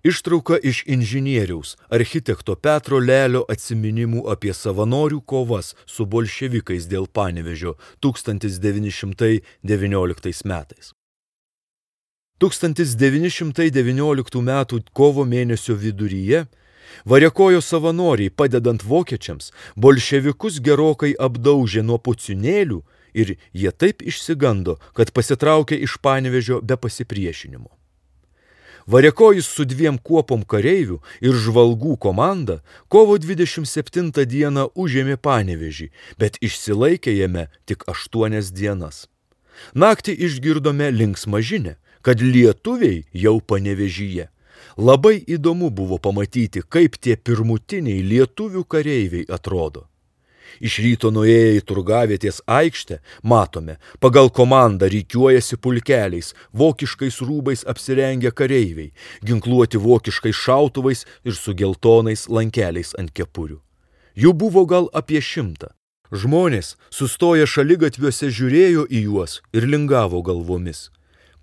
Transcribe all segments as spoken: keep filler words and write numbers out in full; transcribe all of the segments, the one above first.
Ištrauka iš inžinieriaus architekto Petro Lelio atsiminimų apie savanorių kovas su bolševikais dėl Panevėžio tūkstantis devyni šimtai devynioliktais metais. tūkstantis devyni šimtai devynioliktų metų kovo mėnesio viduryje Variakojo savanoriai, padedant vokiečiams, bolševikus gerokai apdaužė nuo pucinėlių ir jie taip išsigando, kad pasitraukė iš Panevėžio be pasipriešinimo. Variakojis su dviem kuopom kareivių ir žvalgų komanda kovo dvidešimt septintą dieną užėmė Panevėžį, bet išsilaikė jame tik aštuonias dienas. Naktį išgirdome linksmą žinią, kad lietuviai jau Panevėžyje. Labai įdomu buvo pamatyti, kaip tie pirmutiniai lietuvių kareiviai atrodo. Iš ryto nuėję į turgavietės aikštę, matome, pagal komandą rikiuojasi pulkeliais, vokiškais rūbais apsirengę kareiviai, ginkluoti vokiškais šautuvais ir su geltonais lankeliais ant kepurių. Jų buvo gal apie šimtą. Žmonės, sustoję šaligatviuose, žiūrėjo į juos ir lingavo galvomis.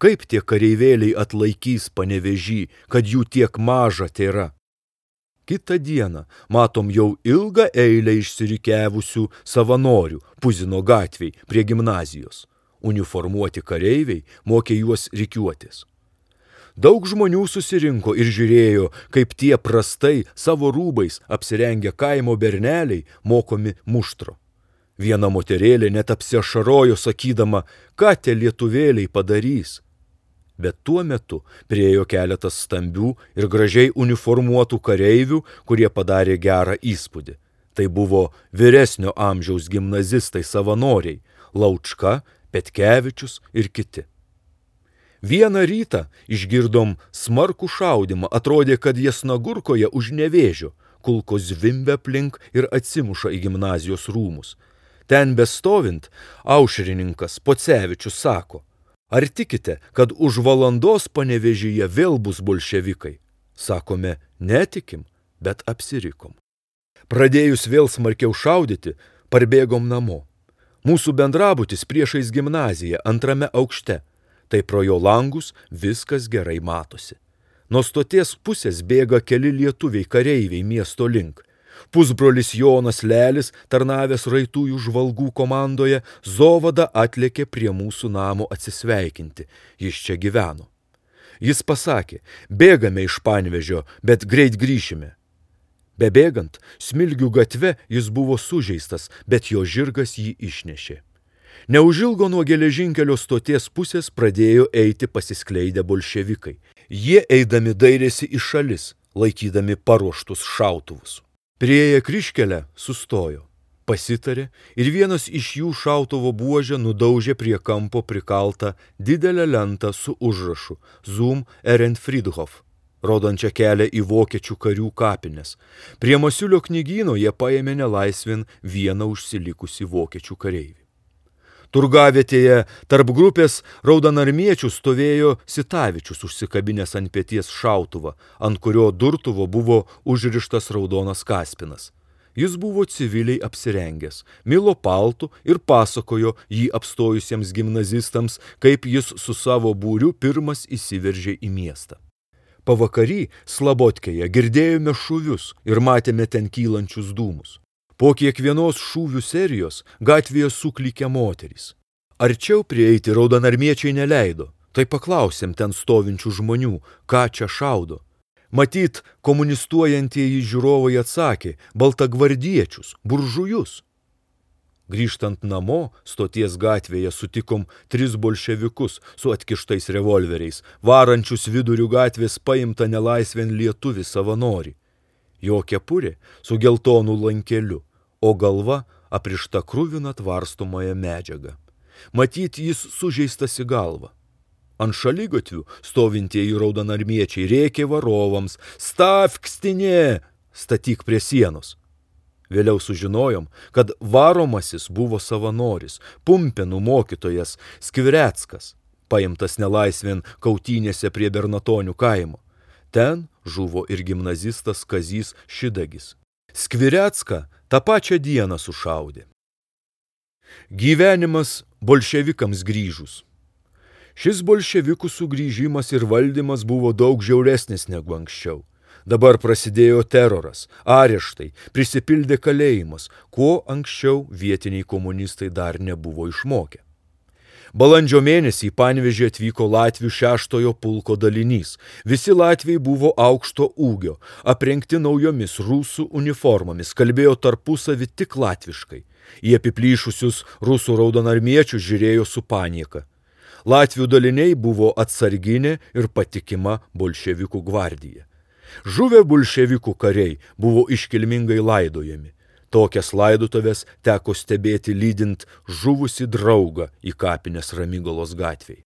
Kaip tie kareivėliai atlaikys Panevėžį, kad jų tiek maža tėra? Kitą dieną matom jau ilgą eilę išsirikiavusių savanorių Puzino gatvėj prie gimnazijos. Uniformuoti kareiviai mokė juos rikiuotis. Daug žmonių susirinko ir žiūrėjo, kaip tie prastai savo rūbais apsirengę kaimo berneliai mokomi muštro. Viena moterėlė net apsiašarojo sakydama, ką tie lietuvėliai padarys. Bet tuo metu priėjo keletas stambių ir gražiai uniformuotų kareivių, kurie padarė gerą įspūdį. Tai buvo vyresnio amžiaus gimnazistai savanoriai – Laučka, Petkevičius ir kiti. Vieną rytą išgirdom smarkų šaudimą, atrodė, kad Jasnagurkoje už Nevėžio, kulkos zvimbia aplink ir atsimuša į gimnazijos rūmus. Ten bestovint, aušrininkas Pocevičius sako, ar tikite, kad už valandos Panevėžyje vėl bus bolševikai? Sakome, netikim, bet apsirikom. Pradėjus vėl smarkiau šaudyti, parbėgom namo. Mūsų bendrabutis priešais gimnaziją antrame aukšte. Tai pro jo langus viskas gerai matosi. Nuo stoties pusės bėga keli lietuviai kareiviai miesto link. Pusbrolis Jonas Lelis, tarnavęs raitųjų žvalgų komandoje, zovada atlėkė prie mūsų namo atsisveikinti. Jis čia gyveno. Jis pasakė, bėgame iš Panevėžio, bet greit grįšime. Bebėgant, Smilgių gatve jis buvo sužeistas, bet jo žirgas jį išnešė. Neužilgo nuo geležinkelio stoties pusės pradėjo eiti pasiskleidę bolševikai. Jie eidami dairėsi į šalis, laikydami paruoštus šautuvus. Priėję kryžkelę sustojo, pasitarė ir vienas iš jų šautuvo buožę nudaužė prie kampo prikaltą didelę lentą su užrašu Zum Ehrenfriedhof, rodančią kelią į vokiečių karių kapines. Prie Masiulio knygyno jie paėmė nelaisvin vieną užsilikusį vokiečių kareivį. Turgavietėje tarp grupės raudonarmiečių stovėjo Sitavičius užsikabinęs ant peties šautuvą, ant kurio durtuvo buvo užrištas raudonas kaspinas. Jis buvo civiliai apsirengęs, milo paltu ir pasakojo jį apstojusiems gimnazistams, kaip jis su savo būriu pirmas įsiveržė į miestą. Pavakary Slabotkėje girdėjome šūvius ir matėme ten kylančius dūmus. Po kiekvienos šūvių serijos gatvėje suklykė moterys. Arčiau prieiti raudonarmiečiai neleido, tai paklausėm ten stovinčių žmonių, ką čia šaudo. Matyt, komunistuojantieji žiūrovai atsakė, baltagvardiečius, buržujus. Grįžtant namo, stoties gatvėje sutikom tris bolševikus su atkištais revolveriais, varančius vidurių gatvės paimtą nelaisvėn lietuvį savanorį. Jo kepurė su geltonu lankeliu, o galva aprišta kruvina tvarstomąją medžiagą. Matyt, jis sužeistas į galvą. Ant šaligatvių stovintieji raudonarmiečiai rėkė varovams, stavk stinė, statyk prie sienos. Vėliau sužinojom, kad varomasis buvo savanoris, Pumpėnų mokytojas Skvireckas, paimtas nelaisvėn kautynėse prie Bernatonių kaimo. Ten žuvo ir gimnazistas Kazys Šidagis. Skvirecką tą pačią dieną sušaudė. Gyvenimas bolševikams grįžus. Šis bolševikų sugrįžimas ir valdymas buvo daug žiauresnis negu anksčiau. Dabar prasidėjo teroras, areštai, prisipildė kalėjimas, ko anksčiau vietiniai komunistai dar nebuvo išmokę. Balandžio mėnesį į Panevėžį atvyko Latvių šeštojo pulko dalinys. Visi latviai buvo aukšto ūgio, aprengti naujomis rusų uniformomis, kalbėjo tarpusavį tik latviškai. Į apiplyšusius rusų raudonarmiečius žiūrėjo su panieka. Latvių daliniai buvo atsarginė ir patikima bolševikų gvardija. Žuvę bolševikų kariai buvo iškilmingai laidojami. Tokias laidotuvės teko stebėti lydint žuvusi draugą į kapines Ramygalos gatvėj.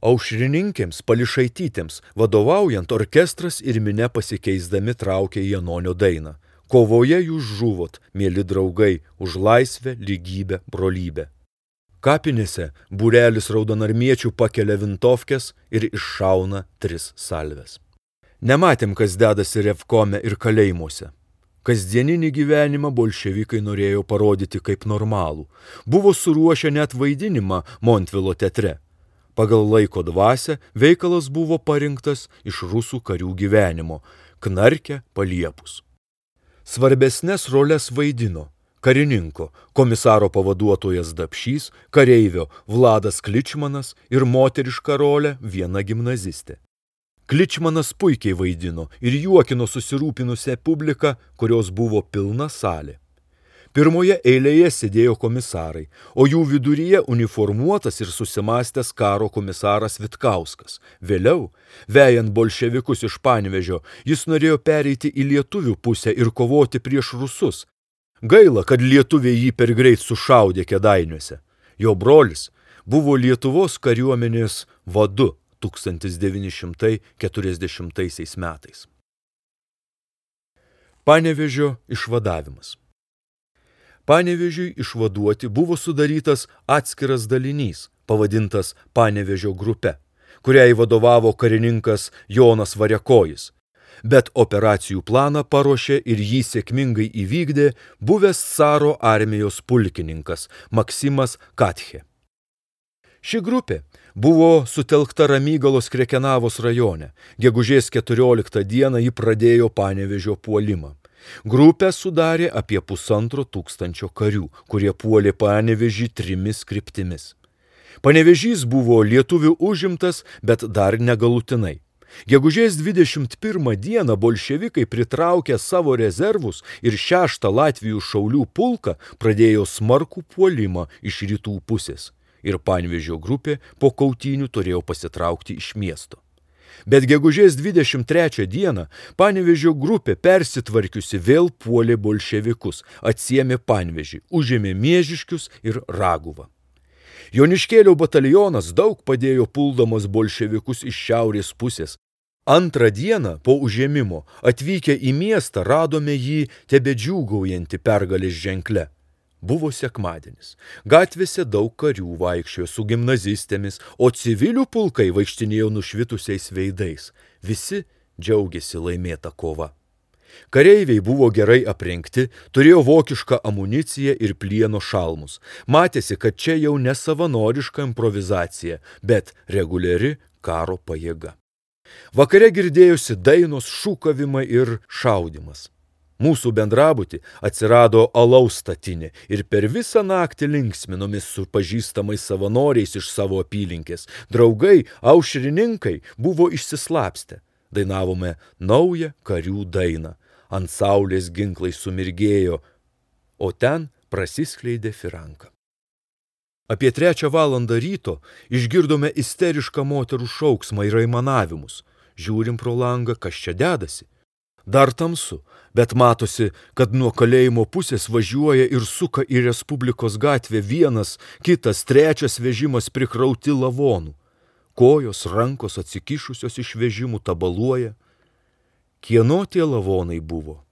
Aušrininkėms Pališaitytėms vadovaujant orkestras ir minia pasikeisdami traukė Janonio dainą. Kovoje jūs žuvot, mieli draugai, už laisvę, lygybę, brolybę. Kapinėse būrelis raudonarmiečių pakelia vintovkes ir iššauna tris salves. Nematėm, kas dedasi revkome ir kalėjimuose. Kasdieninį gyvenimą bolševikai norėjo parodyti kaip normalų. Buvo suruošę net vaidinimą Montvilo teatre. Pagal laiko dvasią veikalas buvo parinktas iš rusų karių gyvenimo – Knarke paliepus. Svarbesnes roles vaidino karininko, komisaro pavaduotojas Dapšys, kareivio Vladas Kličmanas ir moterišką rolę viena gimnazistė. Kličmanas puikiai vaidino ir juokino susirūpinusią publiką, kurios buvo pilna salė. Pirmoje eilėje sėdėjo komisarai, o jų viduryje uniformuotas ir susimastęs karo komisaras Vitkauskas. Vėliau, vejant bolševikus iš Panevėžio, jis norėjo pereiti į lietuvių pusę ir kovoti prieš rusus. Gaila, kad lietuviai jį per greit sušaudė Kėdainiuose. Jo brolis buvo Lietuvos kariuomenės vadu tūkstantis devyni šimtai keturiasdešimtaisiais metais. Panevėžio išvadavimas. Panevėžiui išvaduoti buvo sudarytas atskiras dalinys, pavadintas Panevėžio grupe, kuriai vadovavo karininkas Jonas Variakojis, bet operacijų planą paruošė ir jį sėkmingai įvykdė buvęs caro armijos pulkininkas Maksimas Katche. Ši grupė buvo sutelkta Ramygalos Krekenavos rajone. Gegužės keturioliktą dieną ji pradėjo Panevėžio puolimą. Grupę sudarė apie pusantro tūkstančio karių, kurie puolė Panevėžį trimis kryptimis. Panevėžys buvo lietuvių užimtas, bet dar negalutinai. Gegužės dvidešimt pirmą dieną bolševikai pritraukė savo rezervus ir šeštą Latvijų šaulių pulką pradėjo smarkų puolimą iš rytų pusės. Ir Panevėžio grupė po kautynių turėjo pasitraukti iš miesto. Bet gegužės dvidešimt trečią dieną Panevėžio grupė persitvarkiusi vėl puolė bolševikus, atsiėmė Panevėžį, užėmė Miežiškius ir Raguvą. Joniškėlio batalionas daug padėjo puldamas bolševikus iš šiaurės pusės. Antrą dieną po užėmimo atvykę į miestą radome jį tebedžiūgaujantį pergalės ženkle. Buvo sekmadienis. Gatvėse daug karių vaikščiojo su gimnazistėmis, o civilių pulkai vaikštinėjo nušvitusiais veidais. Visi džiaugiasi laimėta kova. Kareiviai buvo gerai aprengti, turėjo vokišką amuniciją ir plieno šalmus. Matėsi, kad čia jau ne savanoriška improvizacija, bet reguliari karo pajėga. Vakare girdėjosi dainos, šūkavimai ir šaudimas. Mūsų bendrabutį atsirado alaus statinė ir per visą naktį linksminomis su pažįstamais savanoriais iš savo apylinkės. Draugai, aušrininkai buvo išsislapstę. Dainavome naują karių dainą. Ant saulės ginklai sumirgėjo, o ten prasiskleidė firanka. Apie trečią valandą ryto išgirdome isterišką moterų šauksmą ir aimanavimus. Žiūrim pro langą, kas čia dedasi. Dar tamsu, bet matosi, kad nuo kalėjimo pusės važiuoja ir suka į Respublikos gatvę vienas, kitas, trečias vežimas prikrauti lavonų. Kojos, rankos atsikišusios iš vežimų tabaluoja. Kieno tie lavonai buvo,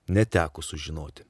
neteko sužinoti.